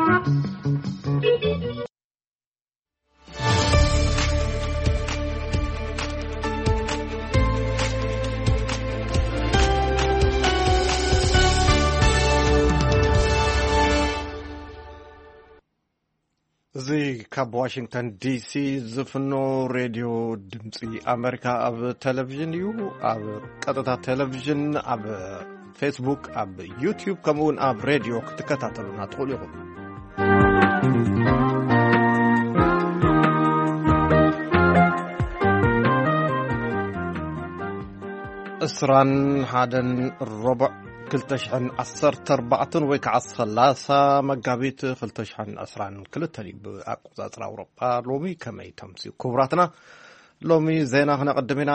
እዚ ካብ ዋሽንግተን ዲሲ ዝፍኖ ሬድዮ ድምፂ ኣሜሪካ ኣብ ቴሌቪዥን እዩ። ኣብ ቀጥታ ቴሌቪዥን፣ ኣብ ፌስቡክ፣ ኣብ ዩቲዩብ፣ ከምኡውን ኣብ ሬድዮ ክትከታተሉና ትኽእሉ ኢኹም። እስራን ሓደን ሮቦዕ ክልተ ሽሕን ዓሰርተ ኣርባዕተን ወይ ከዓ ሰላሳ መጋቢት ክልተ ሽሕን ዕስራን ክልተን እዩ ብኣቆፃፅራ ኣውሮጳ። ሎሚ ከመይ ተምስዩ ክቡራትና? ሎሚ ዜና ክነቕድም ኢና።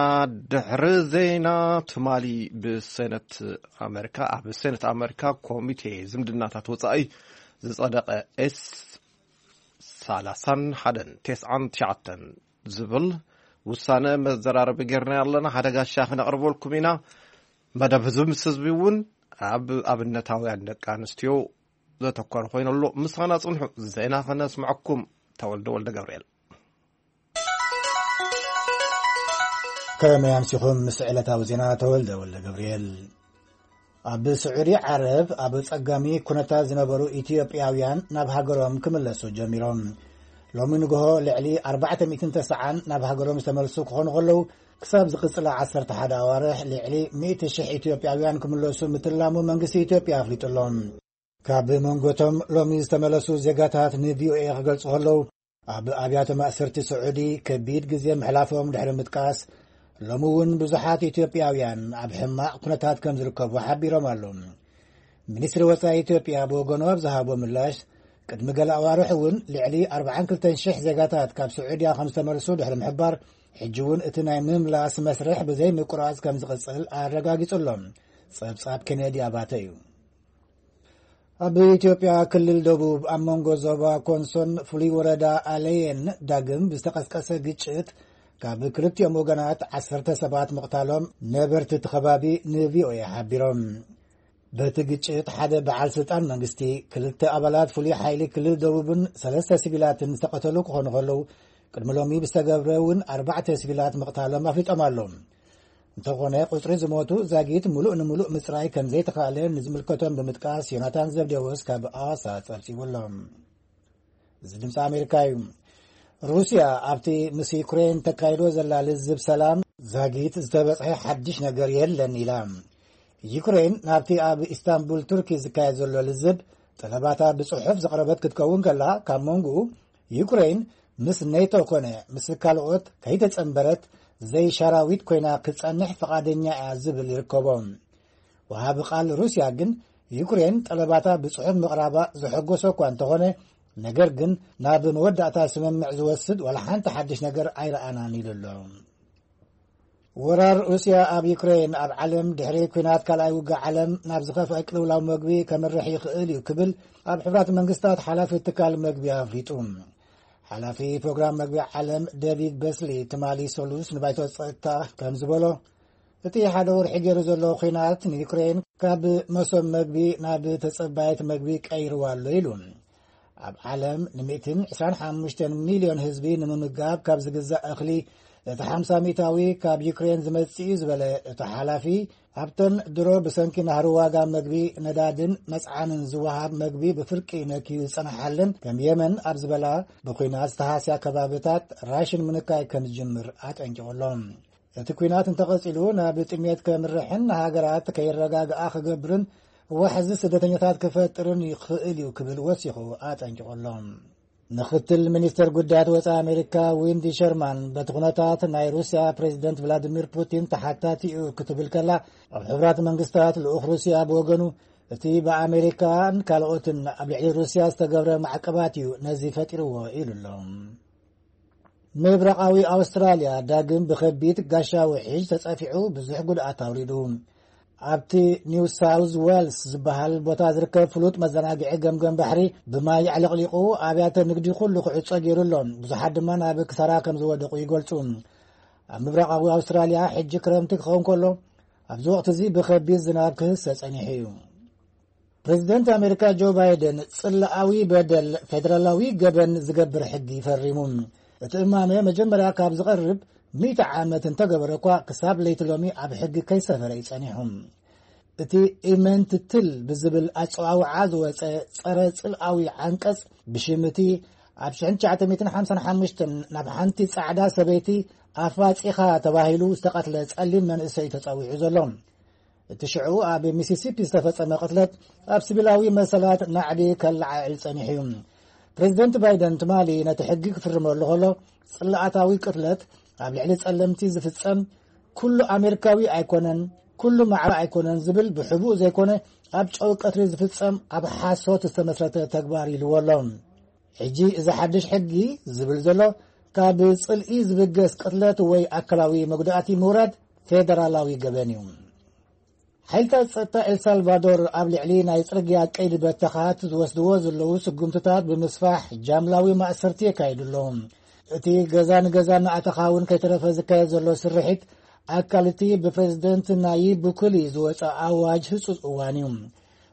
ድሕሪ ዜና ትማሊ ብሴነት ኣሜሪካ፣ ኣብ ሴነት ኣሜሪካ ኮሚቴ ዝምድናታት ወፃኢ ዝፀደቐ ኤስ ሰላሳን ሓደን ተስዓን ትሽዓተን ዝብል ውሳነ መዘራረቢ ጌርና ኣለና። ሓደ ጋሻ ክነቕርበልኩም ኢና። መደብ ህዝቢ ምስ ህዝቢ እውን ኣብ ኣብነታውያን ደቂ ኣንስትዮ ዘተኮረ ኮይኑ ኣሎ። ምሳና ጽንሑ፣ ዜና ከነስምዐኩም። ተወልደ ወልደ ገብርኤል። ከመይ ኣምሲኹም? ምስ ዕለታዊ ዜና ተወልደ ወልደ ገብርኤል። ኣብ ስዑዲ ዓረብ ኣብ ጸጋሚ ኩነታት ዝነበሩ ኢትዮጵያውያን ናብ ሃገሮም ክምለሱ ጀሚሮም። ሎሚ ንግሆ ልዕሊ ኣርባዕተ ሚእትን ተስዓን ናብ ሃገሮም ዝተመልሱ ክኾኑ ከለዉ፣ ክሳብ ዝቕጽላ ዓሰርተ ሓደ ኣዋርሕ ልዕሊ ሚእቲ ሽሕ ኢትዮጵያውያን ክምለሱ ምትላሙ መንግስቲ ኢትዮጵያ ኣፍሊጡ ኣሎ። ካብ መንጎቶም ሎሚ ዝተመለሱ ዜጋታት ንቪኦኤ ክገልጹ ከለዉ፣ ኣብ ኣብያተ ማእሰርቲ ስዑዲ ከቢድ ግዜ ምሕላፎም ድሕሪ ምጥቃስ፣ ሎሚ እውን ብዙሓት ኢትዮጵያውያን ኣብ ሕማቕ ኩነታት ከም ዝርከቡ ሓቢሮም ኣለዉ። ሚኒስትሪ ወጻኢ ኢትዮጵያ ብወገኑ ኣብ ዝሃቦ ምላሽ፣ ቅድሚ ገለ ኣዋርሕ እውን ልዕሊ ኣርባዓን ክልተን ሽሕ ዜጋታት ካብ ስዑድያ ከም ዝተመልሱ ድሕሪ ምሕባር፣ ሕጂ እውን እቲ ናይ ምምላስ መስርሕ ብዘይ ምቁራጽ ከም ዝቕጽል ኣረጋጊጹ ኣሎ። ጸብጻብ ኬኔዲ ኣባተ እዩ። ኣብ ኢትዮጵያ ክልል ደቡብ ኣብ መንጎ ዞባ ኮንሶን ፍሉይ ወረዳ ኣለየን ዳግም ብዝተቐስቀሰ ግጭት ካብ ክልቲኦም ወገናት ዓሰርተ ሰባት ምቕታሎም ነበርቲ እቲ ከባቢ ንቪኦኤ ሓቢሮም። በቲ ግጭት ሓደ በዓል ስልጣን መንግስቲ፣ ክልተ ኣባላት ፍሉይ ሓይሊ ክልል ደቡብን ሰለስተ ሲቪላትን ዝተቐተሉ ክኾኑ ከለዉ፣ ቅድሚ ሎሚ ብዝተገብረ እውን ኣርባዕተ ሲቪላት ምቕታሎም ኣፍሊጦም ኣለዉ። እንተኾነ፣ ቁጽሪ ዝሞቱ ዛጊት ምሉእ ንምሉእ ምጽራይ ከም ዘይተኻእለ ንዝምልከቶም ብምጥቃስ ዮናታን ዘብዴዎስ ካብ ኣዋሳ ጸብጺቡ ኣሎ። እዚ ድምፂ ኣሜሪካ እዩ። ሩስያ ኣብቲ ምስ ዩክሬን ተካይዶ ዘላ ልዝብ ሰላም ዛጊት ዝተበጽሐ ሓድሽ ነገር የለን ኢላ። ዩክሬን ናብቲ ኣብ ኢስታንቡል ቱርኪ ዝካየድ ዘሎ ልዝብ ጠለባታ ብጽሑፍ ዘቕረበት ክትከውን ከላ፣ ካብ መንጎኡ ዩክሬን ምስ ኔቶ ኮነ ምስ ካልኦት ከይተጸንበረት ዘይሻራዊት ኮይና ክትጸንሕ ፍቓደኛ እያ ዝብል ይርከቦ። ወሃቢ ቃል ሩስያ ግን ዩክሬን ጠለባታ ብጽሑፍ ምቕራባ ዘሐጎሶ እኳ እንተኾነ፣ ነገር ግን ናብ መወዳእታ ስምምዕ ዝወስድ ዋላ ሓንቲ ሓድሽ ነገር ኣይረኣናን ኢሉ ኣሎ። ወራር ሩስያ ኣብ ዩክሬን ኣብ ዓለም ድሕሪ ኲናት ካልኣይ ውግእ ዓለም ናብ ዝኸፍአ ቅልውላው መግቢ ከምርሕ ይኽእል እዩ ክብል ኣብ ሕቡራት መንግስታት ሓላፊ ትካል መግቢ ኣፍሊጡ። ሓላፊ ፕሮግራም መግቢ ዓለም ዴቪድ በስሊ ትማሊ ሰሉስ ንባይቶ ጸጥታ ከም ዝበሎ፣ እቲ ሓደ ወርሒ ገይሩ ዘሎ ኲናት ንዩክሬን ካብ መሶብ መግቢ ናብ ተጸባየት መግቢ ቀይርዋ ኣሎ ኢሉ። ኣብ ዓለም ን ሚእትን ዕስራን ሓሙሽተን ሚልዮን ህዝቢ ንምምጋብ ካብ ዝግዛእ እኽሊ እቲ ሓምሳ ሚእታዊ ካብ ዩክሬን ዝመጽእ እዩ ዝበለ እቲ ሓላፊ፣ ኣብተን ድሮ ብሰንኪ ናህሪ ዋጋ መግቢ፣ ነዳድን መጽዓንን ዝወሃብ መግቢ ብፍርቂ ነክዩ ዝጸንሓለን ከም የመን ኣብ ዝበላ ብኲናት ዝተሃስያ ከባብታት ራሽን ምንካይ ከም ዝጅምር ኣጠንቂቑ ኣሎ። እቲ ኲናት እንተቐጺሉ ናብ ጥሜት ከምርሕን ንሃገራት ከይረጋግኣ ክገብርን ዋሕዚ ስደተኛታት ክፈጥርን ይኽእል እዩ ክብል ወሲኹ ኣጠንቂቑ ኣሎ። ምኽትል ሚኒስተር ጉዳያት ወጻኢ ኣሜሪካ ዊንዲ ሸርማን በቲ ኩነታት ናይ ሩስያ ፕሬዚደንት ቭላዲሚር ፑቲን ተሓታቲ እዩ ክትብል ከላ፣ ኣብ ሕቡራት መንግስታት ልኡኽ ሩስያ ብወገኑ እቲ ብኣሜሪካን ካልኦትን ኣብ ልዕሊ ሩስያ ዝተገብረ ማዕቀባት እዩ ነዚ ፈጢርዎ ኢሉ ኣሎ። ምብራቓዊ ኣውስትራልያ ዳግም ብኸቢድ ጋሻ ውሒጅ ተጸፊዑ ብዙሕ ጉድኣት ኣውሪዱ። ኣብቲ ኒው ሳውዝ ዌልስ ዝበሃል ቦታ ዝርከብ ፍሉጥ መዘናግዒ ገምገም ባሕሪ ብማይ ኣዕለቕሊቑ ኣብያተ ንግዲ ኩሉ ክዕጾ ገይሩ ኣሎ። ብዙሓት ድማ ናብ ክሳራ ከም ዝወደቑ ይገልጹ። ኣብ ምብራቓዊ ኣውስትራልያ ሕጂ ክረምቲ ክኸውን ከሎ፣ ኣብዚ ወቕቲ እዚ ብኸቢድ ዝናብ ክህሰ ጸኒሑ እዩ። ፕሬዚደንት ኣሜሪካ ጆ ባይደን ጽላኣዊ በደል ፌደራላዊ ገበን ዝገብር ሕጊ ፈሪሙ። እቲ እማመ መጀመርያ ካብ ዝቐርብ ሚእቲ ዓመት እንተገበረ እኳ፣ ክሳብ ለይቲ ሎሚ ኣብ ሕጊ ከይሰፈረ እዩ ጸኒሑ። እቲ ኢመንትትል ብዝብል ኣጸዋውዓ ዝወጸ ጸረ ጽልኣዊ ዓንቀጽ፣ ብሽም እቲ ኣብ ሽሕን ትሽዓተ ሚእትን ሓምሳን ሓሙሽተን ናብ ሓንቲ ጻዕዳ ሰበይቲ ኣፋጺኻ ተባሂሉ ዝተቐትለ ጸሊም መንእሰይ ተጸዊዑ ዘሎ። እቲ ሽዑ ኣብ ሚሲሲፒ ዝተፈጸመ ቅትለት ኣብ ሲቪላዊ መሰላት ናዕቢ ከለዓዕል ጸኒሑ እዩ። ፕሬዚደንት ባይደን ትማሊ ነቲ ሕጊ ክፍርመሉ ከሎ፣ ጽልኣታዊ ቅትለት ኣብ ልዕሊ ጸለምቲ ዝፍጸም ኩሉ ኣሜሪካዊ ኣይኮነን፣ ኩሉ ማዕረ ኣይኮነን ዝብል ብሕቡእ ዘይኮነ ኣብ ጨው ቀትሪ ዝፍጸም ኣብ ሓሶት ዝተመስረተ ተግባር ኢልዎ ኣሎ። ሕጂ እዚ ሓድሽ ሕጊ ዝብል ዘሎ፣ ካብ ጽልኢ ዝብገስ ቅትለት ወይ ኣካላዊ መጉዳእቲ ምውራድ ፌደራላዊ ገበን እዩ። ሓይልታት ጸጥታ ኤልሳልቫዶር ኣብ ልዕሊ ናይ ጽርግያ ቀይዲ በተኻት ዝወስድዎ ዘለዉ ስጉምትታት ብምስፋሕ ጃምላዊ ማእሰርቲ የካይዱ ኣለዉ። እቲ ገዛ ንገዛ እናኣተኻ እውን ከይተረፈ ዝካየድ ዘሎ ስርሒት ኣካል እቲ ብፕሬዚደንት ናይብ ቡኩሊ ዝወጸ ኣዋጅ ህጹጽ እዋን እዩ።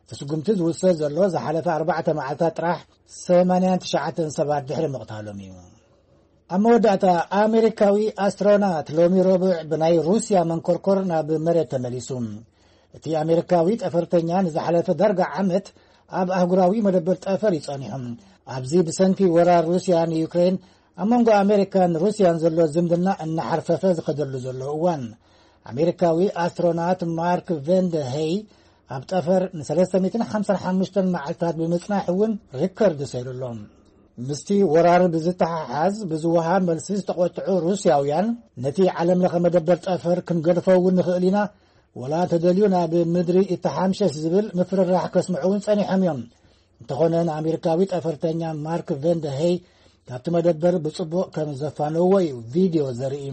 እቲ ስጉምቲ ዝውሰድ ዘሎ ዝሓለፈ ኣርባዕተ መዓልታት ጥራሕ ሰማንያን ትሽዓተን ሰባት ድሕሪ ምቕታሎም እዩ። ኣብ መወዳእታ፣ ኣሜሪካዊ ኣስትሮናት ሎሚ ረቡዕ ብናይ ሩስያ መንኮርኮር ናብ መሬት ተመሊሱ። እቲ ኣሜሪካዊ ጠፈርተኛ ንዝሓለፈ ዳርጋ ዓመት ኣብ ኣህጉራዊ መደበር ጠፈር እዩ ጸኒሑ። ኣብዚ ብሰንኪ ወራር ሩስያ ንዩክሬን ኣብ መንጎ ኣሜሪካን ሩስያን ዘሎ ዝምድና እናሓርፈፈ ዝኸደሉ ዘሎ እዋን፣ ኣሜሪካዊ ኣስትሮናት ማርክ ቨንደ ሄይ ኣብ ጠፈር ን ሰለስተ ሚእትን ሓምሳን ሓሙሽተን መዓልታት ብምጽናሕ እውን ሪከርድ ሰይሩ ኣሎ። ምስቲ ወራር ብዝተሓሓዝ ብዝወሃብ መልሲ ዝተቖጥዑ ሩስያውያን፣ ነቲ ዓለም ለኸ መደበር ጠፈር ክንገድፎ እውን ንኽእል ኢና፣ ወላ እንተደልዩ ናብ ምድሪ ይተሓምሸሽ ዝብል ምፍርራሕ ከስምዑ እውን ጸኒሖም እዮም። እንተኾነ ንኣሜሪካዊ ጠፈርተኛ ማርክ ቨንደ ሄይ ካብቲ መደበር ብጽቡቕ ከም ዘፋነዎ እዩ ቪድዮ ዘርኢ።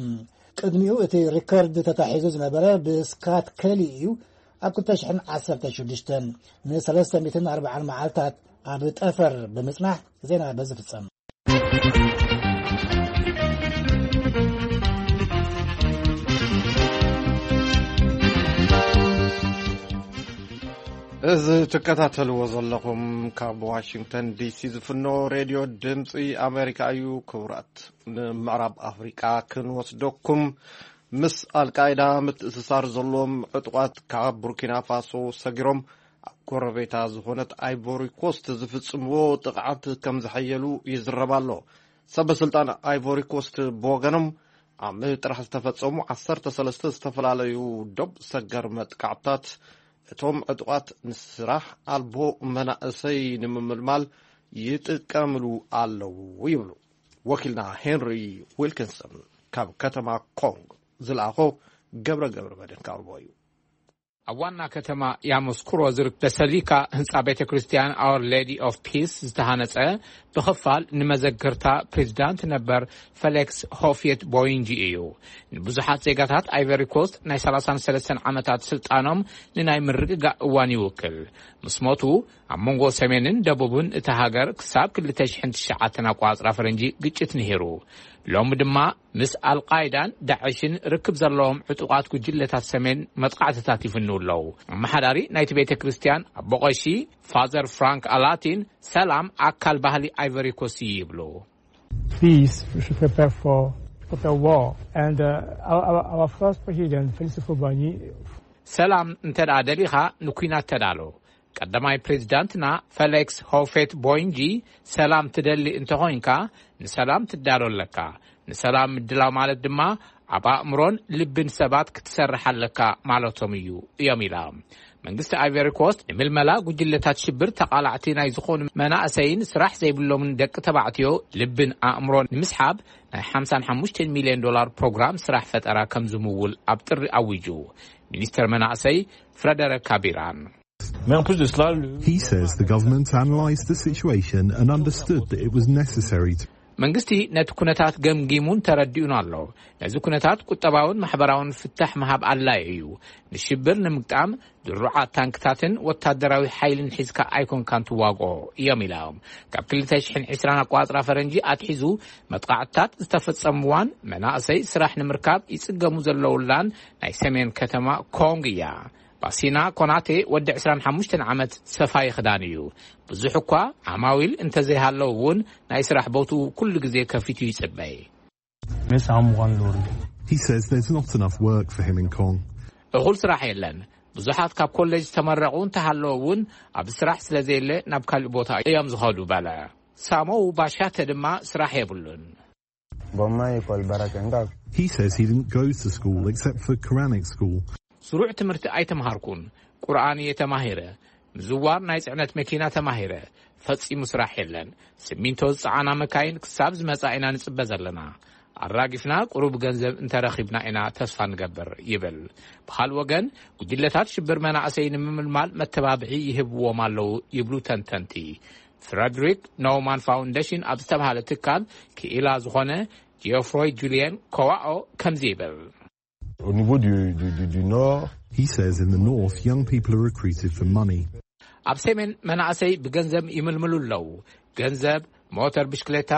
ቅድሚኡ እቲ ሪከርድ ተታሒዙ ዝነበረ ብስካት ከሊ እዩ። ኣብ ክልተ ሽሕን ዓሰርተ ሽዱሽተን ንሰለስተ ሚእትን ኣርባዓን መዓልታት ኣብ ጠፈር ብምጽናሕ ዜና በዚ ፍጸም። እዚ ትከታተልዎ ዘለኹም ካብ ዋሽንግተን ዲሲ ዝፍኖ ሬድዮ ድምፂ ኣሜሪካ እዩ። ክቡራት፣ ንምዕራብ ኣፍሪቃ ክንወስደኩም። ምስ ኣልቃይዳ ምትእስሳር ዘለዎም ዕጡቓት ካብ ቡርኪና ፋሶ ሰጊሮም ኣብ ጎረቤታ ዝኾነት ኣይቮሪ ኮስት ዝፍጽምዎ ጥቕዓት ከም ዝሐየሉ ይዝረብ ኣሎ። ሰበ ስልጣን ኣይቮሪ ኮስት ብወገኖም፣ ኣብ ጥራሕ ዝተፈጸሙ ዓሰርተ ሰለስተ ዝተፈላለዩ ዶብ ሰገር መጥቃዕትታት እቶም ዕጡቓት ንስራሕ ኣልቦ መናእሰይ ንምምልማል ይጥቀምሉ ኣለዉ ይብሉ። ወኪልና ሄንሪ ዊልኪንሰን ካብ ከተማ ኮንግ ዝለኣኾ ገብረ ገብረ መድህን ከቕርቦ እዩ። ኣብ ዋና ከተማ ያሞስኩሮ ዝርከብ በሰሊካ ህንጻ ቤተ ክርስቲያን ኣወር ሌዲ ኦፍ ፒስ ዝተሃነጸ፣ ብኽፋል ንመዘክርታ ፕሬዚዳንት ነበር ፌሊክስ ሆፊየት ቦይንጂ እዩ። ንብዙሓት ዜጋታት ኣይቨሪ ኮስት ናይ ሰላሳን ሰለስተን ዓመታት ስልጣኖም ንናይ ምርግጋእ እዋን ይውክል። ምስ ሞቱ፣ ኣብ መንጎ ሰሜንን ደቡብን እታ ሃገር ክሳብ ክልተ ሽሕን ትሽዓተን ኣቋጽራ ፈረንጂ ግጭት ነይሩ። ሎሚ ድማ ምስ ኣልቃይዳን ዳዕሽን ርክብ ዘለዎም ዕጡቓት ጉጅለታት ሰሜን መጥቃዕትታት ይፍንው ኣለዉ። ኣመሓዳሪ ናይቲ ቤተ ክርስቲያን ኣቦ ቀሺ ፋዘር ፍራንክ ኣላቲን፣ ሰላም ኣካል ባህሊ ኣይቨሪ ኮስት እዩ ይብሉ። Peace, we should prepare for, for the war. And uh, our, our, our first president, Félix Houphouët-Boigny, ሰላም እንተ ደኣ ደሊኻ ንኲናት ተዳሎ። ቀዳማይ ፕሬዚዳንትና ፈሌክስ ሆፌት ቦይንጂ፣ ሰላም ትደሊ እንተኾይንካ ንሰላም ትዳሎ ኣለካ። ንሰላም ምድላው ማለት ድማ ኣብ ኣእምሮን ልብን ሰባት ክትሰርሕ ኣለካ ማለቶም እዩ እዮም ኢላ። መንግስቲ ኣይቨሪ ኮስት ንምልመላ ጉጅለታት ሽብር ተቓላዕቲ ናይ ዝኾኑ መናእሰይን ስራሕ ዘይብሎምን ደቂ ተባዕትዮ ልብን ኣእምሮን ንምስሓብ ናይ ሓምሳን ሓሙሽተን ሚልዮን ዶላር ፕሮግራም ስራሕ ፈጠራ ከም ዝምውል ኣብ ጥሪ ኣዊጁ። ሚኒስተር መናእሰይ ፍረደሪክ ካቢራን። Mais en plus de cela, le He says the government analysed the situation and understood that it was necessary to መንግስቲ ነቲ ኩነታት ገምጊሙን ተረዲኡን ኣሎ። ነዚ ኩነታት ቁጠባውን ማሕበራውን ፍታሕ ምሃብ ኣድላዪ እዩ። ንሽብር ንምግጣም ድሩዓት ታንክታትን ወታደራዊ ሓይልን ሒዝካ ኣይኮንካን ትዋግኦ እዮም ኢሎም። ካብ ክልተ ሽሕን ዕስራን ኣቋጽራ ፈረንጂ ኣትሒዙ መጥቃዕትታት ዝተፈጸምዋን መናእሰይ ስራሕ ንምርካብ ይጽገሙ ዘለውላን ናይ ሰሜን ከተማ ኮንግ እያ። ኣሲና ኮናቴ ወዲ ዕስራን ሓሙሽተን ዓመት ሰፋይ ክዳን እዩ። ብዙሕ እኳ ዓማዊል እንተዘይሃለዉ እውን ናይ ስራሕ ቦትኡ ኩሉ ግዜ ከፊቱ ይጽበይ። He says there's not enough work for him in Kong. እኹል ስራሕ የለን። ብዙሓት ካብ ኮሌጅ ዝተመረቑ እንተሃለዉ እውን ኣብ ስራሕ ስለ ዘየለ ናብ ካልእ ቦታ እዮም ዝኸዱ በለ። ሳሞው ባሻተ ድማ ስራሕ የብሉን። He says he didn't go to school except for Quranic school. ስሩዕ ትምህርቲ ኣይተምሃርኩን። ቁርኣን እየ ተማሂረ። ምዝዋር ናይ ጽዕነት መኪና ተማሂረ። ፈጺሙ ስራሕ የለን። ስሚንቶ ዝጸዓና መካይን ክሳብ ዝመጻ ኢና ንጽበ ዘለና። ኣራጊፍና ቁሩብ ገንዘብ እንተረኺብና ኢና ተስፋ ንገብር ይብል። ብኻልእ ወገን ጉጅለታት ሽብር መናእሰይ ንምምልማል መተባብዒ ይህብዎም ኣለዉ ይብሉ ተንተንቲ። ፍረድሪክ ኖውማን ፋውንዴሽን ኣብ ዝተባሃለ ትካል ክኢላ ዝኾነ ጂኦፍሮይ ጁልየን ኮዋኦ ከምዚ ይብል። Au niveau du, du, du, du nord, He says in the north, young people are recruited for money. ኣብ ሰሜን መናእሰይ ብገንዘብ ይምልምሉ ኣለዉ። ገንዘብ፣ ሞተር ብሽክሌታ፣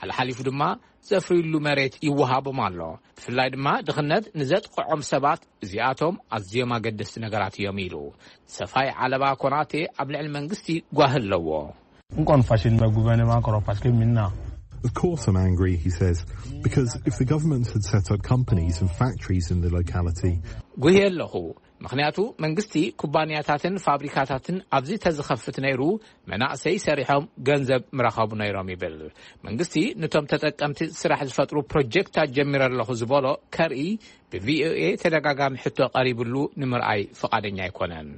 ሓልሓሊፉ ድማ ዘፍርዩሉ መሬት ይወሃቦም ኣሎ። ብፍላይ ድማ ድኽነት ንዘጥቕዖም ሰባት እዚኣቶም ኣዝዮም ኣገደስቲ ነገራት እዮም ኢሉ። ሰፋይ ዓለባ ኮናቴ ኣብ ልዕሊ መንግስቲ ጓሂ ኣለዎ። Nkono fashini ma gouvernement koro parce que minna. Of course, I'm angry, he says, because if the government had set up companies and factories in the locality, ጉሂ ኣለኹ። ምኽንያቱ መንግስቲ ኩባንያታትን ፋብሪካታትን ኣብዚ ተዝኸፍት ነይሩ መናእሰይ ሰሪሖም ገንዘብ ምረኸቡ ነይሮም ይብል። መንግስቲ ነቶም ተጠቀምቲ ስራሕ ዝፈጥሩ ፕሮጀክታት ጀሚረ ኣለኹ ዝበሎ ከርኢ ብቪኦኤ ተደጋጋሚ ሕቶ ቀሪብሉ ንምርኣይ ፍቓደኛ ኣይኮነን።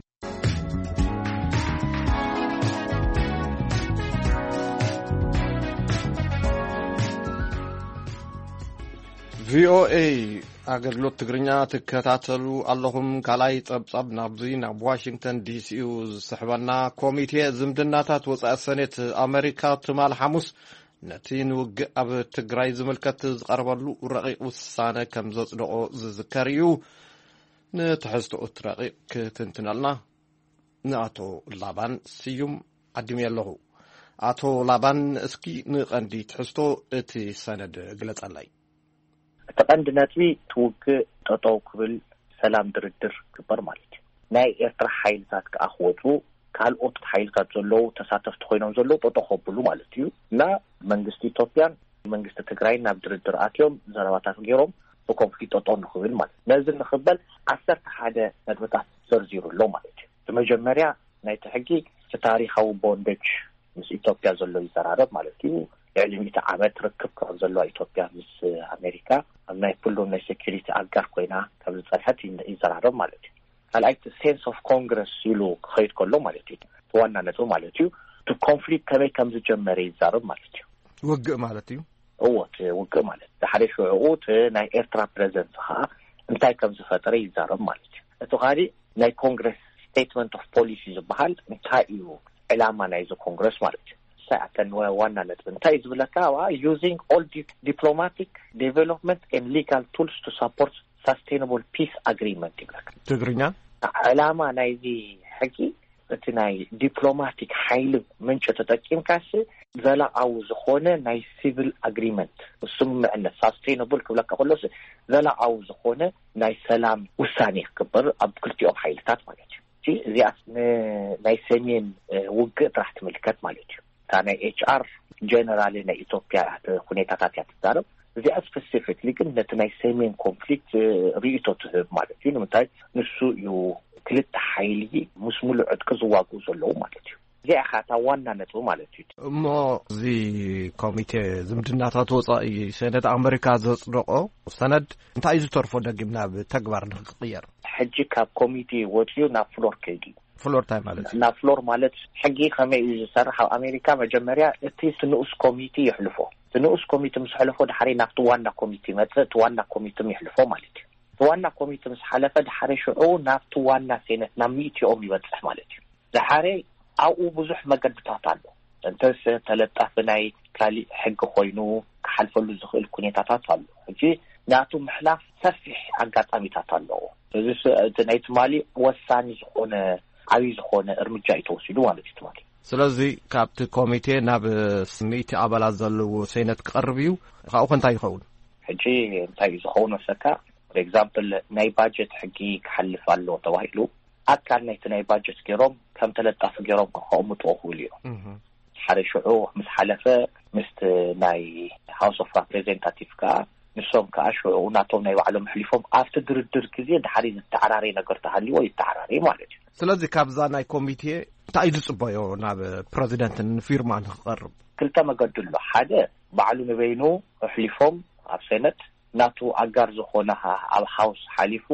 ቪኦኤ ኣገልግሎት ትግርኛ ትከታተሉ ኣለኹም። ካልኣይ ጸብጻብ ናብዚ ናብ ዋሽንግተን ዲሲ እዩ ዝስሕበና። ኮሚቴ ዝምድናታት ወጻኢ ሰኔት ኣመሪካ ትማል ሓሙስ ነቲ ንውግእ ኣብ ትግራይ ዝምልከት ዝቐረበሉ ረቂቕ ውሳነ ከም ዘጽደቖ ዝዝከር እዩ። ንትሕዝቶ እቲ ረቂቕ ክትንትነልና ንኣቶ ላባን ስዩም ዓዲመዮ ኣለኹ። ኣቶ ላባን፣ እስኪ ንቐንዲ ትሕዝቶ እቲ ሰነድ ግለጸለይ። እቲ ቀንዲ ነጥቢ እቲ ውግእ ጠጠው ክብል፣ ሰላም ድርድር ክግበር ማለት እዩ። ናይ ኤርትራ ሓይልታት ከኣ ክወፁ፣ ካልኦት ሓይልታት ዘለዉ ተሳተፍቲ ኮይኖም ዘለዉ ጠጠው ከብሉ ማለት እዩ። እና መንግስቲ ኢትዮጵያን መንግስቲ ትግራይን ናብ ድርድር ኣትዮም ዘረባታት ገይሮም እቲ ኮንፍሊክት ጠጠው ንክብል ማለት እዩ። ነዚ ንክበል ዓሰርተ ሓደ ነጥብታት ዘርዚሩ ኣሎ ማለት እዩ። እቲ መጀመርያ ናይቲ ሕጊ እቲ ታሪኻዊ ቦንደጅ ምስ ኢትዮጵያ ዘሎ ይዘራረብ ማለት እዩ። ልዕሊ ሚእቲ ዓመት ርክብ ከም ዘለዋ ኢትዮጵያ ምስ ኣሜሪካ ኣብ ናይ ኩሎም ናይ ሴኩሪቲ ኣጋር ኮይና ከም ዝጸንሐት ይዘራረብ ማለት እዩ። ካልኣይ እቲ ሴንስ ኦፍ ኮንግረስ ኢሉ ክኸይድ ከሎ ማለት እዩ። እቲ ዋና ነጥቢ ማለት እዩ። እቲ ኮንፍሊክት ከመይ ከም ዝጀመረ ይዛረብ ማለት እዩ። ውግእ ማለት እዩ። እዎ፣ እቲ ውግእ ማለት ድሓደ ሽዑኡ እቲ ናይ ኤርትራ ፕሬዘንስ ከዓ እንታይ ከም ዝፈጠረ ይዛረብ ማለት እዩ። እቲ ካሊእ ናይ ኮንግረስ ስቴትመንት ኦፍ ፖሊሲ ዝበሃል እንታይ እዩ ዕላማ ናይዚ ኮንግረስ ማለት እዩ። ንሳይ ኣተን ዋና ነጥቢ እንታይ እዩ ዝብለካ? Using all diplomatic, development and legal tools to support sustainable peace agreement ይብለካ። ትግርኛ ዕላማ ናይዚ ሕጊ እቲ ናይ ዲፕሎማቲክ ሓይሊ ምንጭ ተጠቂምካሲ ዘላቃዊ ዝኾነ ናይ ሲቪል ኣግሪመንት ስምምዕነት ሳስቴይነብል ክብለካ ከሎስ ዘላቃዊ ዝኾነ ናይ ሰላም ውሳኔ ክግበር ኣብ ክልቲኦም ሓይልታት ማለት እዩ። እዚኣ ናይ ሰሜን ውግእ ጥራሕ ትምልከት ማለት እዩ። እታ ናይ ኤች ኣር ጀነራል ናይ ኢትዮጵያ ኩኔታታት እያ ትዛረብ። እዚኣ ስፐሲፊክሊ ግን ነቲ ናይ ሰሜን ኮንፍሊክት ርእይቶ ትህብ ማለት እዩ። ንምንታይ ንሱ እዩ ክልተ ሓይሊ ምስ ሙሉእ ዕጥቂ ዝዋግኡ ዘለዉ ማለት እዩ። እዚኣ ኢኻ እታ ዋና ነጥቢ ማለት እዩ። እሞ እዚ ኮሚቴ ዝምድናታት ወፃኢ ሰነድ ኣመሪካ ዘፅደቆ ሰነድ እንታይ እዩ ዝተርፎ ደጊም ናብ ተግባር ንክቅየር? ሕጂ ካብ ኮሚቴ ወፂኡ ናብ ፍሎር ከይዱ እዩ። ፍሎር እንታይ ማለት እዩ? ናብ ፍሎር ማለት ሕጊ ከመይ እዩ ዝሰርሕ? ኣብ ኣሜሪካ መጀመርያ እቲ ንኡስ ኮሚቴ የሕልፎ። እቲ ንኡስ ኮሚቴ ምስ ሕልፎ ድሓሪ ናብቲ ዋና ኮሚቴ ይመፅእ፣ እቲ ዋና ኮሚቴ የሕልፎ ማለት እዩ። እቲ ዋና ኮሚቴ ምስ ሓለፈ ድሓሪ ሽዑ ናብቲ ዋና ሴነት ናብ ሚእቲኦም ይበፅሕ ማለት እዩ። ድሓሪ ኣብኡ ብዙሕ መገድታት ኣሎ። እንተስ ተለጣፊ ናይ ካሊእ ሕጊ ኮይኑ ክሓልፈሉ ዝኽእል ኩኔታታት ኣሎ። ሕጂ ናቱ ምሕላፍ ሰፊሕ ኣጋጣሚታት ኣለዎ። እዚ ስ- እቲ ናይ ትማሊ ወሳኒ ዝኾነ ዓብዪ ዝኾነ እርምጃ እዩ ተወሲዱ ማለት እዩ ትማሊ። ስለዚ ካብቲ ኮሚቴ ናብ ሚእቲ ኣባላት ዘለዎ ሴነት ክቐርብ እዩ። ካብኡ ከ እንታይ ይኸውን? ሕጂ እንታይ እዩ ዝኸውን መሰካ? For example ናይ ባጀት ሕጊ ክሓልፍ ኣለዎ ተባሂሉ ኣካል ናይቲ ናይ ባጀት ገይሮም ከም ተለጣፊ ገይሮም ከቐምጥዎ ክኽእሉ እዮም። ሓደ ሽዑ ምስ ሓለፈ ምስቲ ናይ ሃውስ ኦፍ ሬፕሬዘንታቲቭ ከዓ ንሶም ከዓ ሽዑ ናቶም ናይ ባዕሎም ኣሕሊፎም ኣብቲ ድርድር ግዜ ድሓሪ ዝተዓራረየ ነገር ተሃልዎ ይተዓራረየ ማለት እዩ። ስለዚ ካብዛ ናይ ኮሚቴ እንታይ እዩ ዝፅበዮ ናብ ፕረዚደንት ንፊርማ ንክቐርብ? ክልተ መገዲ ኣሎ። ሓደ ባዕሉ ንበይኑ ኣሕሊፎም ኣብ ሴነት ናቱ ኣጋር ዝኾነ ኣብ ሃውስ ሓሊፉ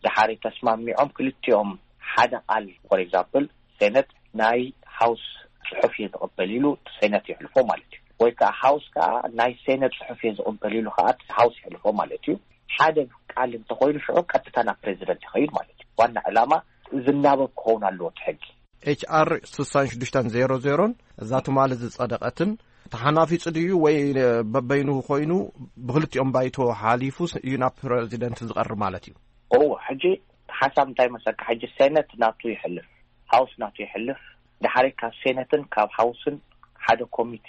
ድሓሪ ተስማሚዖም ክልቲኦም ሓደ ቃል for example ሴነት ናይ ሃውስ ፅሑፍ እየ ዝቕበል ኢሉ ሴነት የሕልፎ ማለት እዩ። ወይ ከዓ ሃውስ ከዓ ናይ ሴነት ፅሑፍ እየ ዝቕበል ኢሉ ከዓ ሃውስ የሕልፎ ማለት እዩ። ሓደ ቃል እንተኮይኑ ሽዑ ቀጥታ ናብ ፕሬዚደንት ይኸይድ ማለት እዩ። ዋና ዕላማ ዝናበብ ክኸውን ኣለዎ እቲ ሕጊ። ኤች ኣር ስሳን ሽዱሽተን ዜሮ ዜሮን እዛ ትማሊ ዝጸደቐትን ተሓናፊጹ ድዩ ወይ በበይኑ ኮይኑ ብክልቲኦም ባይቶ ሓሊፉ እዩ ናብ ፕረዚደንት ዝቐርብ ማለት እዩ? ኦ ሕጂ ሓሳብ እንታይ መሰካ? ሕጂ ሴነት ናቱ ይሕልፍ፣ ሃውስ ናቱ ይሕልፍ። ድሓሪ ካብ ሴነትን ካብ ሃውስን ሓደ ኮሚቲ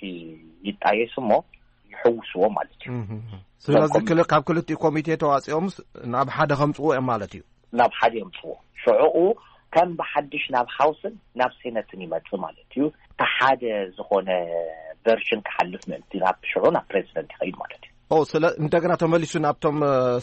ይጣየስ እሞ ይሕውስዎ ማለት እዩ። ስለዚ ካብ ክልቲኡ ኮሚቴ ተዋፂኦምስ ናብ ሓደ ከምፅዎ እዮም ማለት እዩ? ናብ ሓደ የምፅዎ። ሽዕኡ ከም ብሓድሽ ናብ ሃውስን ናብ ሴነትን ይመፅእ ማለት እዩ። እቲ ሓደ ዝኾነ ቨርሽን ክሓልፍ ምእንቲ ናብ ሽዑ ናብ ፕሬዚደንት ይኸይድ ማለት እዩ። ኦ ስለ እንደገና ተመሊሱ ናብቶም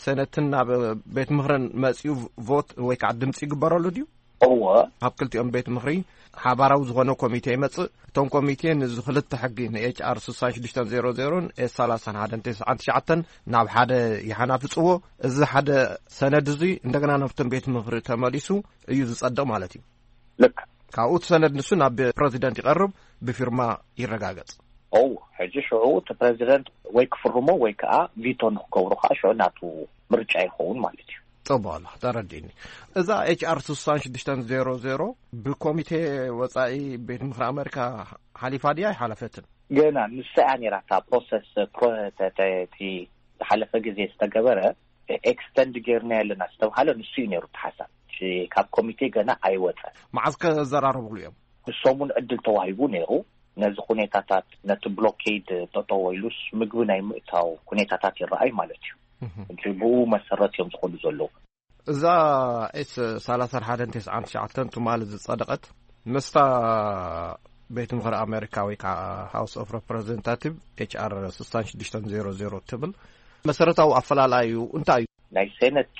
ሴነትን ናብ ቤት ምክርን መፅኡ ቮት ወይ ከዓ ድምፂ ይግበረሉ ድዩ? እወ። ካብ ክልቲኦም ቤት ምክሪ ሓባራዊ ዝኾነ ኮሚቴ ይመፅእ። እቶም ኮሚቴ ንዚ ክልተ ሕጊ ንኤች ኣር ስሳን ሽዱሽተን ዜሮ ዜሮን ኤስ ሰላሳን ሓደን ተስዓን ትሽዓተን ናብ ሓደ ይሓናፍፅዎ። እዚ ሓደ ሰነድ እዚ እንደገና ናብቶም ቤት ምክሪ ተመሊሱ እዩ ዝፀድቕ ማለት እዩ። ልክ። ካብኡ እቲ ሰነድ ንሱ ናብ ፕረዚደንት ይቐርብ፣ ብፊርማ ይረጋገፅ። ኦ ሕጂ ሽዑ እቲ ፕረዚደንት ወይ ክፍርሞ ወይ ከዓ ቪቶ ንክገብሩ ከዓ ሽዑ ናቱ ምርጫ ይኸውን ማለት እዩ። ፅቡቅ ኣሎ፣ ተረዲእኒ። እዛ ኤች ኣር ስሳን ሽዱሽተን ዜሮ ዜሮ ብኮሚቴ ወፃኢ ቤት ምክሪ ኣሜሪካ ሓሊፋ ድያ ኣይሓለፈትን? ገና ንሳ እያ ነይራ እታ ፕሮሰስ እቲ ዝሓለፈ ግዜ ዝተገበረ ኤክስተንድ ጌርና ያለና ዝተባሃለ ንሱ እዩ ነይሩ እቲ ሓሳብ። ካብ ኮሚቴ ገና ኣይወፀን። መዓዝ ከዘራረብሉ እዮም? ንሶም እውን ዕድል ተዋሂቡ ነይሩ። ነዚ ኩኔታታት ነቲ ብሎኬድ ጠጠው ኢሉስ ምግቢ ናይ ምእታው ኩኔታታት ይረኣይ ማለት እዩ። እጂ ብኡ መሰረት እዮም ዝኸዱ ዘለዉ። እዛ ኤስ ሰላሳ ሓደን ተስዓን ትሽዓተን ትማሊ ዝጸደቐት ምስታ ቤት ምኽሪ ኣሜሪካ ወይ ከዓ ሃውስ ኦፍ ሬፕሬዘንታቲቭ ኤች ኣር ስሳን ሽዱሽተን ዜሮ ዜሮ ትብል መሰረታዊ ኣፈላላዩ እንታይ እዩ? ናይ ሴነት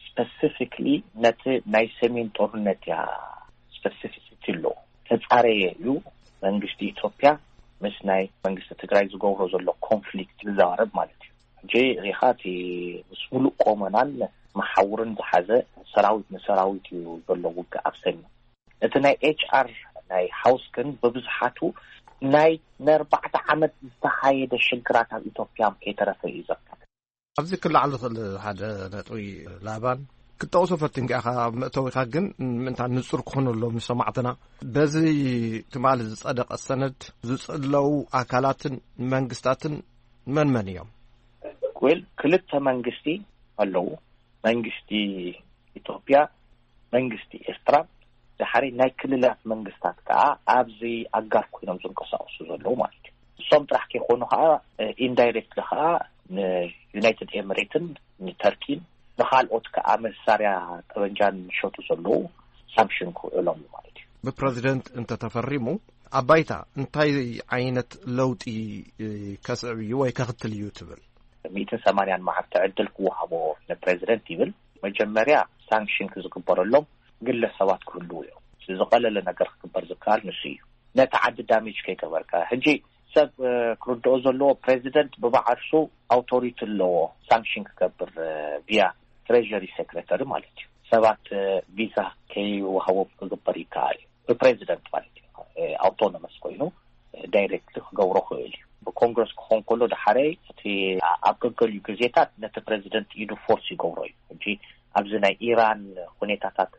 ስፐሲፊክሊ ነቲ ናይ ሰሜን ጦርነት እያ ስፐሲፊሲቲ ኣሎ ተጻረየ እዩ። መንግስቲ ኢትዮጵያ ምስ ናይ መንግስቲ ትግራይ ዝገብሮ ዘሎ ኮንፍሊክት ዝዛረብ ማለት እዩ። ሕጂ ሪኻ እቲ ምስ ሙሉእ ቆመናን መሓውርን ዝሓዘ ሰራዊት ንሰራዊት እዩ ዘሎ ውግእ ኣብ ሰሜን። እቲ ናይ ኤች ኣር ናይ ሃውስ ግን ብብዝሓቱ ናይ ንኣርባዕተ ዓመት ዝተኻየደ ሽግራት ኣብ ኢትዮጵያ ከይተረፈ እዩ ዘካትት። ኣብዚ ክለዓል ዝኽእል ሓደ ነጥቢ ላባን ክትጠቕሶ ፈቲንካ ኢኻ ኣብ መእተዊኻ፣ ግን ምእንታ ንጹር ክኾነሎም ንሰማዕትና በዚ ትማሊ ዝጸደቐ ሰነድ ዝጽለዉ ኣካላትን መንግስታትን መን መን እዮም? ወል ክልተ መንግስቲ ኣለዉ። መንግስቲ ኢትዮጵያ መንግስቲ ኤርትራ ድሓሪ ናይ ክልላት መንግስታት ከዓ ኣብዚ ኣጋር ኮይኖም ዝንቀሳቀሱ ዘለዉ ማለት እዩ። እሶም ጥራሕ ከይኮኑ ከዓ ኢንዳይሬክትሊ ከዓ ንዩናይትድ ኤምሬትን ንተርኪን ንካልኦት ከዓ መሳርያ ጠበንጃን ዝሸጡ ዘለዉ ሳንክሽን ክውዕሎም እዩ ማለት እዩ። ብፕረዚደንት እንተተፈሪሙ ኣብ ባይታ እንታይ ዓይነት ለውጢ ከስዕብ እዩ ወይ ከኽትል እዩ ትብል? ሚእትን ሰማንያን መዓልቲ ዕድል ክወሃቦ ንፕረዚደንት ይብል። መጀመርያ ሳንክሽን ክዝግበረሎም ግለሰባት ክህልዉ እዮም። ዝቐለለ ነገር ክግበር ዝከኣል ንሱ እዩ። ነቲ ዓዲ ዳሜጅ ከይገበርካ። ሕጂ ሰብ ክርድኦ ዘለዎ ፕረዚደንት ብባዕርሱ ኣውቶሪቲ ኣለዎ ሳንክሽን ክገብር ቪያ ትሬሪ ሴክሬተሪ ማለት እዩ። ሰባት ቪዛ ከይወሃቦም ክግበር ይከኣል እዩ። ብፕሬዚደንት ማለት እዩ። ኣውቶኖመስ ኮይኑ ዳይሬክትሊ ክገብሮ ክእል እዩ። ብኮንግረስ ክኾን ከሎ ድሓረይ እቲ ኣብ ገገሊኡ ግዜታት ነቲ ፕሬዚደንት ኢዱ ፎርስ ይገብሮ እዩ። ሕጂ ኣብዚ ናይ ኢራን ሁኔታታት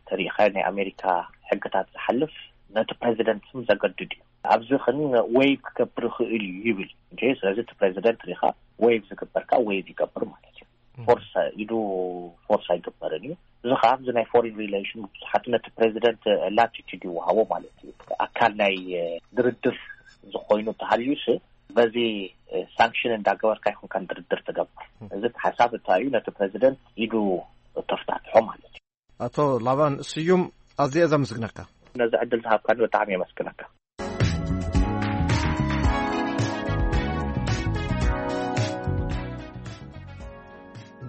ተሪኢኻ ናይ ኣሜሪካ ሕግታት ዝሓልፍ ነቲ ፕሬዚደንት ስም ዘገድድ እዩ። ኣብዚ ክን ዌይቭ ክገብር ይኽእል እዩ ይብል። እንጂ ስለዚ እቲ ፕሬዚደንት ሪኻ ዌይቭ ዝግበር ከዓ ዌይቭ ይገብር ማለት እዩ። ፎርስ ኢዱ ፎርስ ኣይግበርን እዩ። እዚ ከዓ ኣብዚ ናይ ፎሪን ሪሌሽን ብዙሓት ነቲ ፕሬዚደንት ላቲቱድ ይወሃቦ ማለት እዩ። ኣካል ናይ ድርድር ዝኾይኑ ተሃልዩስ በዚ ሳንክሽን እንዳገበርካ ይኹንካን ድርድር ትገብር። እዚ ሓሳብ እንታይ እዩ? ነቲ ፕሬዚደንት ኢዱ ተፍታትሖ ማለት እዩ። ኣቶ ላባን ስዩም፣ ኣዝየ ዘመስግነካ። ነዚ ዕድል ዝሃብካኒ ብጣዕሚ የመስግነካ።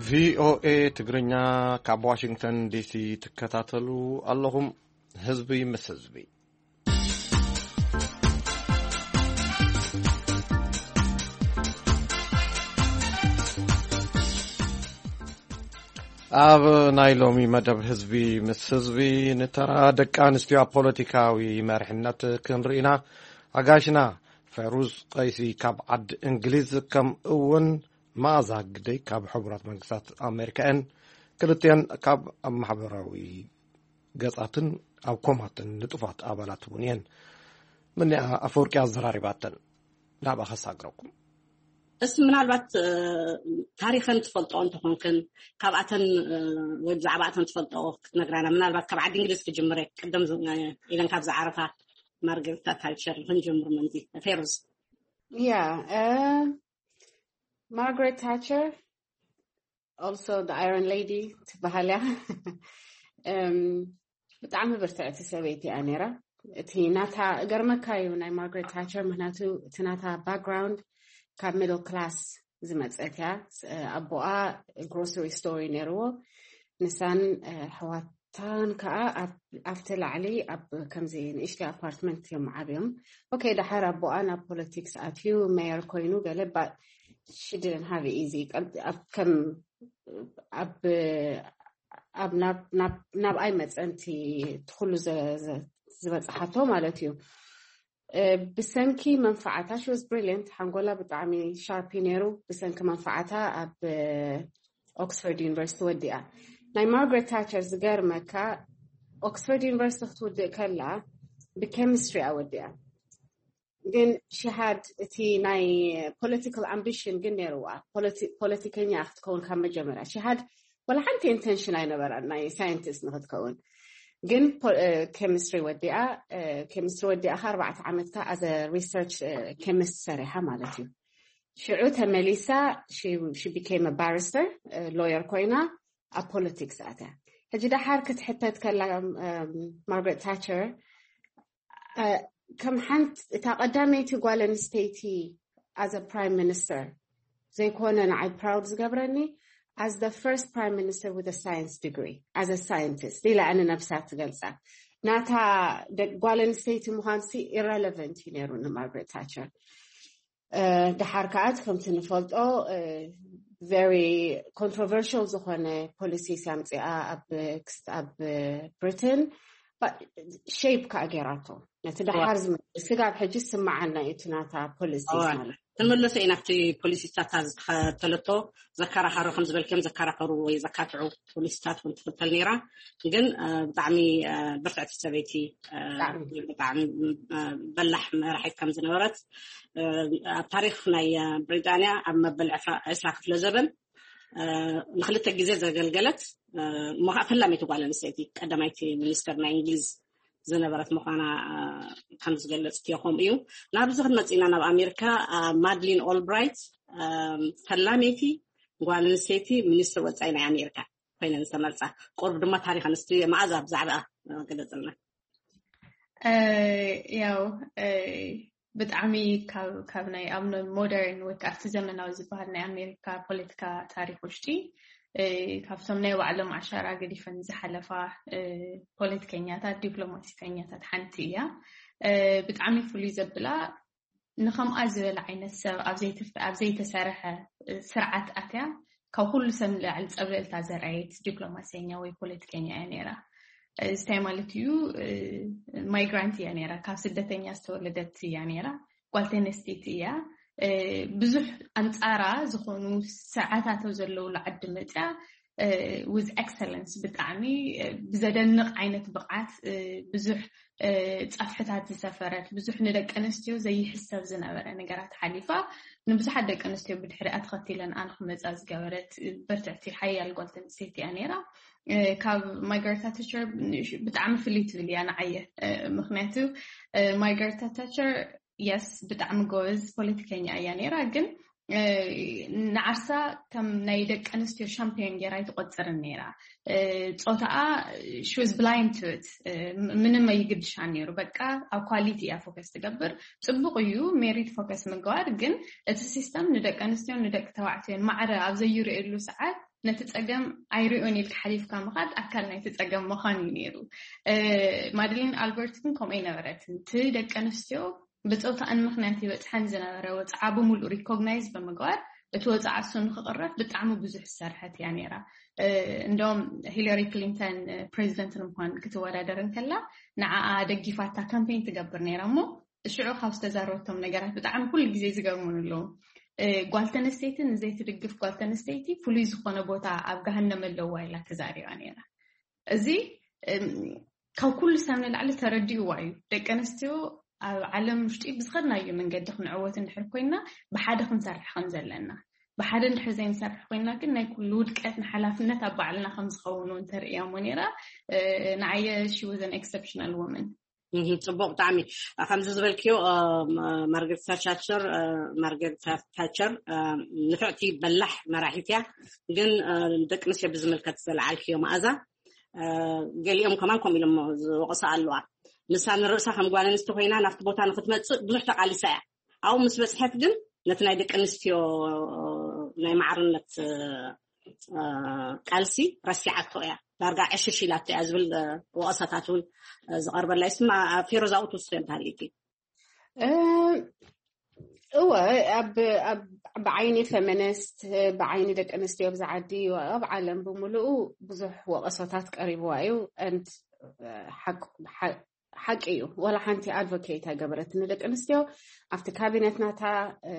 ቪኦኤ ትግርኛ ካብ ዋሽንግተን ዲሲ ትከታተሉ ኣለኹም። ህዝቢ ምስ ህዝቢ። ኣብ ናይ ሎሚ መደብ ህዝቢ ምስ ህዝቢ፣ ንተራ ደቂ ኣንስትዮ ኣብ ፖለቲካዊ መሪሕነት ክንርኢ ኢና። ኣጋይሽና ፈሩዝ ቀይሲ ካብ ዓዲ እንግሊዝ፣ ከምኡ እውን መኣዛ ግደይ ካብ ሕቡራት መንግስታት ኣሜሪካ እየን። ክልቲአን ካብ ኣብ ማሕበራዊ ገጻትን ኣብ ኮማትን ንጡፋት ኣባላት እውን እየን። ምኒኣ ኣፈወርቂ ኣዘራሪባተን። ናብኣ ከሳግረኩም። እስቲ ምናልባት፣ እ፣ ታሪኸን ትፈልጦ እንተኾንክን፣ ካብኣተን፣ እ፣ ወይ ብዛዕባኣተን ትፈልጦ ክትነግራና፣ ምናልባት ካብ ዓዲ እንግሊዝ ክጅምር እየ። ቅድም ዝ-፣ እ፣ ኢለን ካብ ዝዓረፋ ማርገሪታ ታቸር ክንጀምር ምእንቲ። ፌሩዝ። Yeah, uh, Margaret Thatcher, also the Iron Lady ትበሃል እያ። እም፣ ብጣዕሚ ብርትዕቲ ሰበይቲ እያ ነይራ። እቲ ናታ፣ እገርመካ እዩ ናይ ማርጋሬት ታቸር፣ ምክንያቱ እቲ ናታ ባክግራውንድ ካብ ሚድል ክላስ ዝመጸት እያ። ስ-፣ ኣቦኣ ግሮሰሪ ስቶር እዩ ነይርዎ። ንሳን፣ እ፣ ኣሕዋታን ከዓ ኣብ፣ ኣብቲ ላዕሊ ኣብ ከምዚ ንእሽተይ ኣፓርትመንት እዮም ዓብዮም። ኦኬ፣ ደሓር ኣቦኣ ናብ ፖለቲክስ ኣትዩ፣ ሜየር ኮይኑ ገለ፣ but she didn't have it easy። ቀብ-፣ ኣብ ከም፣ ኣብ፣ ኣብ ናብ፣ ናብ፣ ናብኣይ መጸንቲ እቲ ኩሉ ዘ-፣ ዘ-፣ ዝበጽሓቶ ማለት እዩ። እ፣ ብሰንኪ መንፈዓታ፣ she was brilliant፣ ሓንጎላ ብጣዕሚ ሻርፕ እዩ ነይሩ። ብሰንኪ መንፈዓታ ኣብ፣ እ፣ ኦክስፎርድ ዩኒቨርሲቲ ወዲኣ። ናይ ማርጋሬት ታቸር ዝገርመካ፣ ኦክስፎርድ ዩኒቨርሲቲ ክትውድእ ከላ ብኬሚስትሪ እያ ወዲኣ። ግን she had እቲ ናይ ፖለቲካል ኣምቢሽን ግን ነይርዋ። ፖለቲ-፣ ፖለቲከኛ ክትከውን ካብ መጀመርያ she had፣ ወላ ሓንቲ ኢንተንሽን ኣይነበራን ናይ ሳይንቲስት ንክትከውን። ግን ፖ-፣ እ፣ ኬሚስትሪ ወዲኣ፣ እ፣ ኬሚስትሪ ወዲኣ ከኣ ኣርባዕተ ዓመት ከኣ as a research፣ እ፣ ኬሚስት ሰሪሓ ማለት እዩ። ሽዑ ተመሊሳ፣ she፣ she became a barrister፣ እ፣ ሎየር ኮይና ኣብ ፖለቲክስ ኣትያ። ሕጂ ደሓር ክትሕተት ከላ፣ እም፣ ማርጋሬት ታቸር፣ እ፣ ከም ሓንቲ እታ ቀዳመይቲ ጓል ኣንስተይቲ as a prime minister ዘይኮነ ንዓይ ፕራውድ ዝገብረኒ፣ as the first prime minister with a science degree, as a scientist ኢላ እያ ንነብሳ ትገልጻ። ናታ ደ-፣ ጓል ኣንስተይቲ ምዃንሲ ኢረለቨንት እዩ ነይሩ ንማርጋሬት ታቸር። እ፣ ደሓር ከኣ እቲ ከምቲ ንፈልጦ፣ እ፣ ቨሪ ኮንትሮቨርሽል ዝኾነ ፖሊሲስ ኣምጺኣ ኣብ፣ ኣብ ብሪትን፣ ባ-፣ ሼፕ ከኣ ጌራቶ። ነቲ ደሓር ዝመጽእ ስጋብ ሕጂ ዝስምዓና እዩ እቲ ናታ ፖሊሲስ እዋ፣ ማለት። ክንምለሶ ኢና ኣብቲ ፖሊሲታት ዝተኸተለቶ። ዘከራኸሩ፣ ከም ዝበልክዮም ዘከራኸሩ ወይ ዘካትዑ ፖሊሲታት እውን ትኽተል ነይራ። ግን፣ እ፣ ብጣዕሚ፣ እ፣ ብርትዕቲ ሰበይቲ፣ እ፣ ብጣዕሚ። ብጣዕሚ፣ እ፣ በላሕ መራሒት ከም ዝነበረት፣ እ፣ ኣብ ታሪኽ ናይ፣ እ፣ ብሪጣንያ ኣብ መበል ዕስራ፣ ዕስራ ክፍለ ዘበን፣ እ፣ ንክልተ ግዜ ዘገልገለት፣ እ፣ እሞ ከዓ ፈላመይቲ ጓል ኣንስተይቲ ቀዳማይቲ ሚኒስተር ናይ እንግሊዝ ዝነበረት ምዃና፣ እ፣ ከም ዝገለጽክዮ ከምኡ እዩ። ናብዚ ክንመጽእ ኢና፣ ናብ ኣሜሪካ፣ እ፣ ማድሊን ኦልብራይት፣ እ፣ ፈላመይቲ ጓል ኣንስተይቲ ሚኒስትር ወጻኢ ናይ ኣሜሪካ ኮይነን ዝተመርጻ። ቁሩብ ድማ ታሪኸን እስቲ መኣዛ ብዛዕባኣ፣ እ፣ ግለጽልና። እ፣ ያው፣ እ፣ ብጣዕሚ ካብ፣ ካብ ናይ ኣብ ሞደርን ወይ ከዓ ኣብቲ ዘመናዊ ዝበሃል ናይ ኣሜሪካ ፖለቲካ ታሪኽ ውሽጢ፣ እ፣ ካብቶም ናይ ባዕሎም ኣሻራ ገዲፈን ዝሓለፋ፣ እ፣ ፖለቲከኛታት፣ ዲፕሎማሲተኛታት ሓንቲ እያ። እ፣ ብጣዕሚ ፍሉይ ዘብላ፣ ንኸምኣ ዝበለ ዓይነት ሰብ ኣብ ዘይተፈ-፣ ኣብ ዘይተሰርሐ፣ እ፣ ስርዓት ኣትያ፣ ካብ ኩሉ ሰብ ንላዕሊ ጸብለልታ ዘርኣየት ዲፕሎማሰኛ ወይ ፖለቲከኛ እያ ነይራ። እዚ እንታይ ማለት እዩ? እ፣ ማይግራንት እያ ነይራ፣ ካብ ስደተኛ ዝተወለደት እያ ነይራ። ጓል ተነስተይቲ እያ። እ፣ ብዙሕ ኣንጻራ ዝኾኑ ስርዓታቶ ዘለውሉ ዓዲ መጽያ፣ እ፣ with excellence፣ ብጣዕሚ፣ እ፣ ብዘደንቕ ዓይነት ብቕዓት፣ እ፣ ብዙሕ፣ እ፣ ጸፍሕታት ዝሰፈረት፣ ብዙሕ ንደቂ ኣንስትዮ ዘይሕሰብ ዝነበረ ነገራት ሓሊፋ፣ ንብዙሓት ደቂ ኣንስትዮ ብድሕሪኣ ተኸቲለን ኣን ክመጻ ዝገበረት፣ እ፣ በርትዕቲ ሓያል ጓል ተንስተይቲ እያ ነይራ። እ፣ ካብ ማርጋሬት ታቸር ብጣዕሚ ፍልይ ትብል እያ ንዓየ። እ፣ ምኽንያቱ፣ እ፣ ማርጋሬት ታቸር፣ የስ፣ ብጣዕሚ ጎበዝ ፖለቲከኛ እያ ነይራ፣ ግን ንዓርሳ ከም ናይ ደቂ ኣንስትዮ ሻምፒዮን ገይራ ኣይትቆፅርን ነይራ። ጾታኣ she was blind to it። ምንም ኣይግድሻን ነይሩ። በቃ ኣብ ኳሊቲ እያ ፎከስ ትገብር። ፅቡቅ እዩ ሜሪት ፎከስ ምግባር፣ ግን እቲ ሲስተም ንደቂ ኣንስትዮን ንደቂ ተባዕትዮን ማዕረ ኣብ ዘይርእየሉ ሰዓት ነቲ ፀገም ኣይርእዮን ኢልካ ሓሊፍካ ምኻድ ኣካል ናይቲ ፀገም ምዃን እዩ ነይሩ። ማድሊን ኣልበርት ግን ከምኡ ኣይነበረትን። እቲ ደቂ ኣንስትዮ ብጾታኣን ምኽንያት ይበጽሐን ዝነበረ ወጽዓ ብምሉእ ሪኮግናይዝ ብምግባር እቲ ወጽዓ እሱ ንክቕረፍ ብጣዕሚ ብዙሕ ዝሰርሐት እያ ነይራ። እንደውም ሂለሪ ክሊንተን ፕሬዚደንት ንምዃን ክትወዳደር እንከላ ንዓኣ ደጊፋታ ካምፔን ትገብር ነይራ እሞ ሽዑ ካብ ዝተዛረበቶም ነገራት ብጣዕሚ ኩሉ ግዜ ዝገርሙን ኣለዉ። ጓል ተነስተይቲ ንዘይትድግፍ ጓል ተነስተይቲ ፍሉይ ዝኾነ ቦታ ኣብ ገሃነም ኣለዋ ኢላ ተዛሪባ ነይራ። እዚ ካብ ኩሉ ሰብ ንላዕሊ ተረዲእዋ እዩ። ደቂ ኣንስትዮ ኣብ ዓለም ውሽጢ ብዝኸድናዮ መንገዲ ክንዕወት እንድሕር ኮይና ብሓደ ክንሰርሕ ከም ዘለና፣ ብሓደ እንድሕር ዘይንሰርሕ ኮይና ግን ናይ ኩሉ ውድቀት ንሓላፍነት ኣብ ባዕልና ከም ዝኸውን እውን ተርእያ እሞ ነይራ። ንዓየ she was an exceptional woman። ጽቡቅ ብጣዕሚ። ከምዚ ዝበልክዮ ማርገሬት ታቻር ማርገሬት ታቸር ንፍዕቲ በላሕ መራሒት እያ። ግን ደቂ ኣንስትዮ ብዝምልከት ዘልዓልክዮ መኣዛ፣ ገሊኦም ከማን ከምኡ ኢሎም ዝወቕሳ ኣለዋ። ንሳ ንርእሳ ከም ጓል ኣንስቲ ኮይና ናብቲ ቦታ ንክትመጽእ ብዙሕ ተቃሊሳ እያ። ኣብኡ ምስ በጽሐት ግን ነቲ ናይ ደቂ ኣንስትዮ ናይ ማዕርነት ቃልሲ ረሲዓቶ እያ፣ ዳርጋ ዕሽሽ ኢላቶ እያ ዝብል ወቐሳታት እውን ዝቐርበላ ይስማ። ፌሮዛ ትውስኺ እንተሃልዩኪ? እወ፣ ኣብ ብዓይኒ ፌሚኒስት፣ ብዓይኒ ደቂ ኣንስትዮ ኣብዚ ዓዲ፣ ኣብ ዓለም ብምሉኡ ብዙሕ ወቐሶታት ቀሪብዋ እዩ። ሓቂ እዩ፣ ዋላ ሓንቲ ኣድቮኬት ኣይገበረትን ንደቂ ኣንስትዮ። ኣብቲ ካቢነት ናታ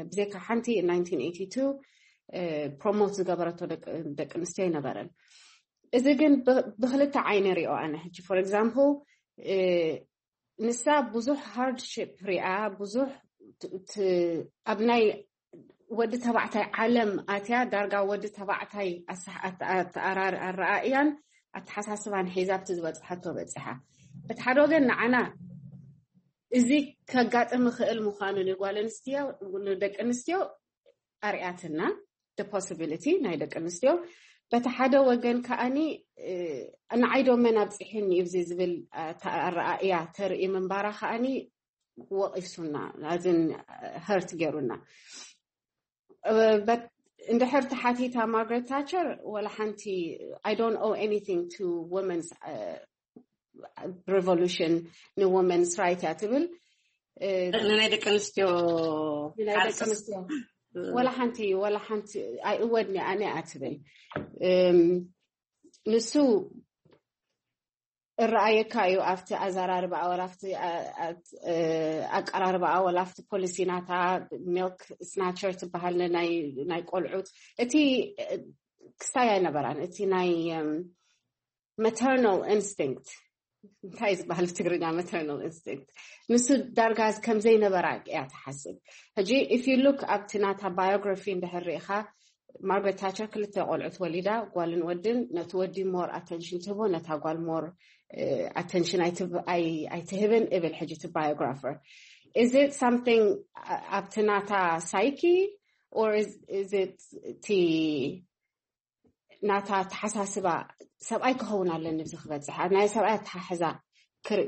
ብዘይካ ሓንቲ ፕሮሞት ዝገበረቶ ደቂ ኣንስትዮ ኣይነበረን። እዚ ግን ብክልተ ዓይነ ሪኦ ኣነ ሕጂ for example ንሳ ብዙሕ ሃርድሽፕ ሪኣ፣ ብዙሕ ኣብ ናይ ወዲ ተባዕታይ ዓለም ኣትያ፣ ዳርጋ ወዲ ተባዕታይ ኣረኣእያን ኣተሓሳስባን ሒዛ ኣብቲ ዝበፅሓቶ በፂሓ። በቲ ሓደ ወገን ንዓና እዚ ከጋጥም ይኽእል ምዃኑ ንጓል ኣንስትዮ፣ ንደቂ ኣንስትዮ ኣርያትና ፖሲቢሊቲ ናይ ደቂ ኣንስትዮ። በቲ ሓደ ወገን ከኣኒ ንዓይ ዶ መን ኣብፅሒኒ እዩ ዝብል ኣረኣእያ ተርኢ ምንባራ ከኣኒ ወቒሱና፣ ኣዝን ሀርት ገይሩና። እንድሕር ተሓቲታ ማርገሬት ታቸር ወላ ሓንቲ I don't owe anything to women's revolution፣ ንወመንስ ራይት እያ ትብል። ንናይ ደቂ ኣንስትዮ ንናይ ደቂ ኣንስትዮ ወላ ሓንቲ ወላ ሓንቲ ኣይእወድኒ ኣነ እያ ትብል። ንሱ እረኣየካ እዩ ኣብቲ ኣዘራርባኣ ወላ ኣብቲ ኣቀራርባኣ ወላ ኣብቲ ፖሊሲ ናታ ሚልክ ስናቸር ትበሃል ናይ ቆልዑት እቲ ክስታይ ኣይነበራን። እቲ ናይ መተርናል ኢንስቲንክት እንታይ ዝበሃል ብትግርኛ መተርናል ኢንስቲንክት ንሱ ዳርጋ ከምዘይነበራ እያ ትሓስብ። ሕጂ if you look ኣብቲ ናታ ባዮግራፊ እንድሕር ርኢኻ ማርገሬት ታቸር ክልተ ቆልዑት ወሊዳ ጓልን ወድን ነቲ ወዲ ሞር ኣተንሽን ትህቦ ነታ ጓል ሞር ኣተንሽን ኣይትህብን እብል ሕጂ እቲ ባዮግራፈር is it something ኣብቲ ናታ ሳይኪ or is it እቲ ናታ ተሓሳስባ ሰብኣይ ክኸውን ኣለኒ ብዚ ክበፅሕ ናይ ሰብኣይ ኣተሓሕዛ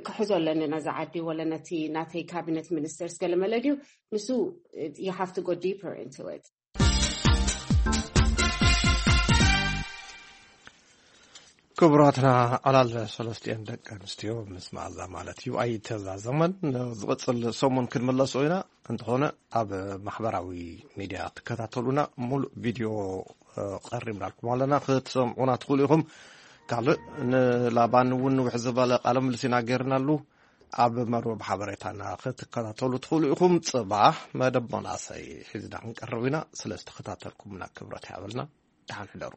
ክሕዞ ኣለኒ ነዛ ዓዲ ወለ ነቲ ናተይ ካቢነት ሚኒስተርስ ገለ መለ ድዩ ንሱ you have to go deeper into it። ክቡራትና ዕላል ሰለስቲኤን ደቂ ኣንስትዮ ምስ መኣዛ ማለት እዩ ኣይተዛዘመን። ዝቕፅል ሰሙን ክንምለሶ ኢና። እንተኾነ ኣብ ማሕበራዊ ሚድያ ትከታተሉና ሙሉእ ቪድዮ ቀሪብናልኩም ኣለና ክትሰምዑና ትኽእሉ ኢኹም። ካልእ ንላባን እውን ንውሕ ዝበለ ቃለ ምልስ ኢና ገይርናሉ። ኣብ መርበብ ሓበሬታና ክትከታተሉ ትኽእሉ ኢኹም። ፅባሕ መደብ መናእሰይ ሒዝና ክንቀርብ ኢና። ስለ ዝተኸታተልኩምና ክብረት ይሃበልና። ደሓን ሕደሩ።